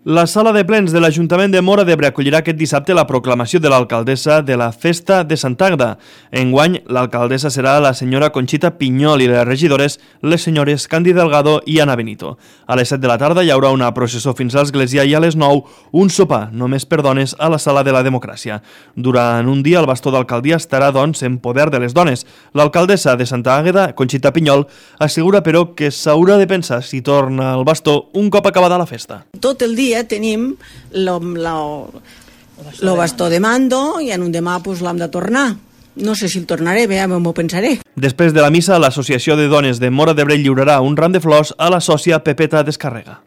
La sala de plens de l'Ajuntament de Móra d'Ebre acollirà aquest dissabte la proclamació de l'alcaldessa de la Festa de Sant Àgueda. Enguany, l'alcaldessa serà la senyora Conxita Pinyol i les regidores, les senyores Candi Delgado i Ana Benito. A les 7 de la tarda hi haurà una processó fins a l'església i a les 9 un sopar, només per dones, a la Sala de la Democràcia. Durant un dia el bastó d'alcaldia estarà, doncs, en poder de les dones. L'alcaldessa de Sant Àgueda, Conxita Pinyol, assegura, però, que s'haurà de pensar si torna al bastó un cop acabada la festa. Tot el dia tenim el bastó de mando i en un demà l'hem de tornar. No sé si el tornaré, bé, m'ho pensaré. Després de la missa, l'Associació de Dones de Móra d'Ebre lliurarà un ram de flors a la sòcia Pepeta Descarrega.